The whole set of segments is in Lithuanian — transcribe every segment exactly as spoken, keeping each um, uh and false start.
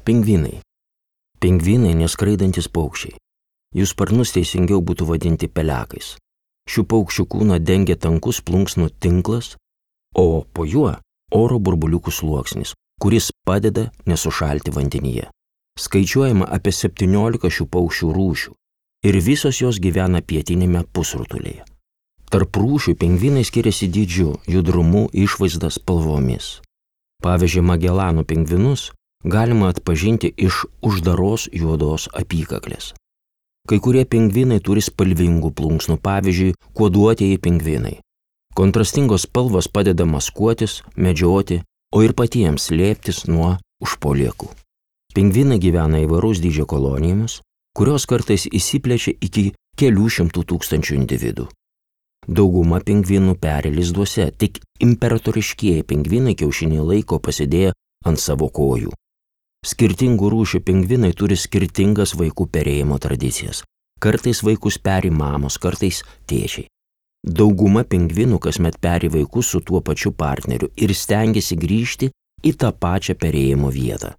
Pingvinai. Pingvinai neskraidantis paukščiai. Jų sparnus teisingiau būtų vadinti pelekais. Šių paukščių kūną dengia tankus plunksnų tinklas, o po juo oro burbuliukų sluoksnis, kuris padeda nesušalti vandenyje. Skaičiuojama apie septyniolika šių paukščių rūšių ir visos jos gyvena pietinėme pusrutulyje. Tarp rūšių pingvinai skiriasi dydžiu, judrumu, išvaizda, spalvomis. Pavyzdžiui, Magelano pingvinus galima atpažinti iš uždaros juodos apykaklės. Kai kurie pingvinai turi spalvingų plunksnų, pavyzdžiui, kuoduotieji pingvinai. Kontrastingos spalvos padeda maskuotis, medžioti, o ir patiems slėptis nuo užpuolikų. Pingvinai gyvena įvairaus dydžio kolonijomis, kurios kartais įsiplečia iki kelių šimtų tūkstančių individų. Dauguma pingvinų peri lizduose, tik imperatoriškieji pingvinai kiaušinį laiko pasidėję ant savo kojų. Skirtingų rūšių pingvinai turi skirtingas vaikų perėjimo tradicijas. Kartais vaikus peri mamos, kartais tėčiai. Dauguma pingvinų kasmet peri vaikus su tuo pačiu partneriu ir stengiasi grįžti į tą pačią perėjimo vietą.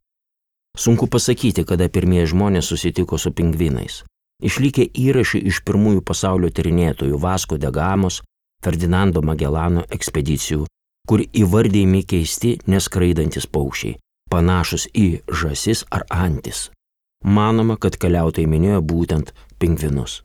Sunku pasakyti, kada pirmieji žmonės susitiko su pingvinais. Išlikę įrašai iš pirmųjų pasaulio tyrinėtojų Vasko de Gamos, Ferdinando Magelano ekspedicijų, kur įvardijami keisti neskraidantis paukščiai, panašus į žąsis ar antis. Manoma, kad keliautojai minėjo būtent pingvinus.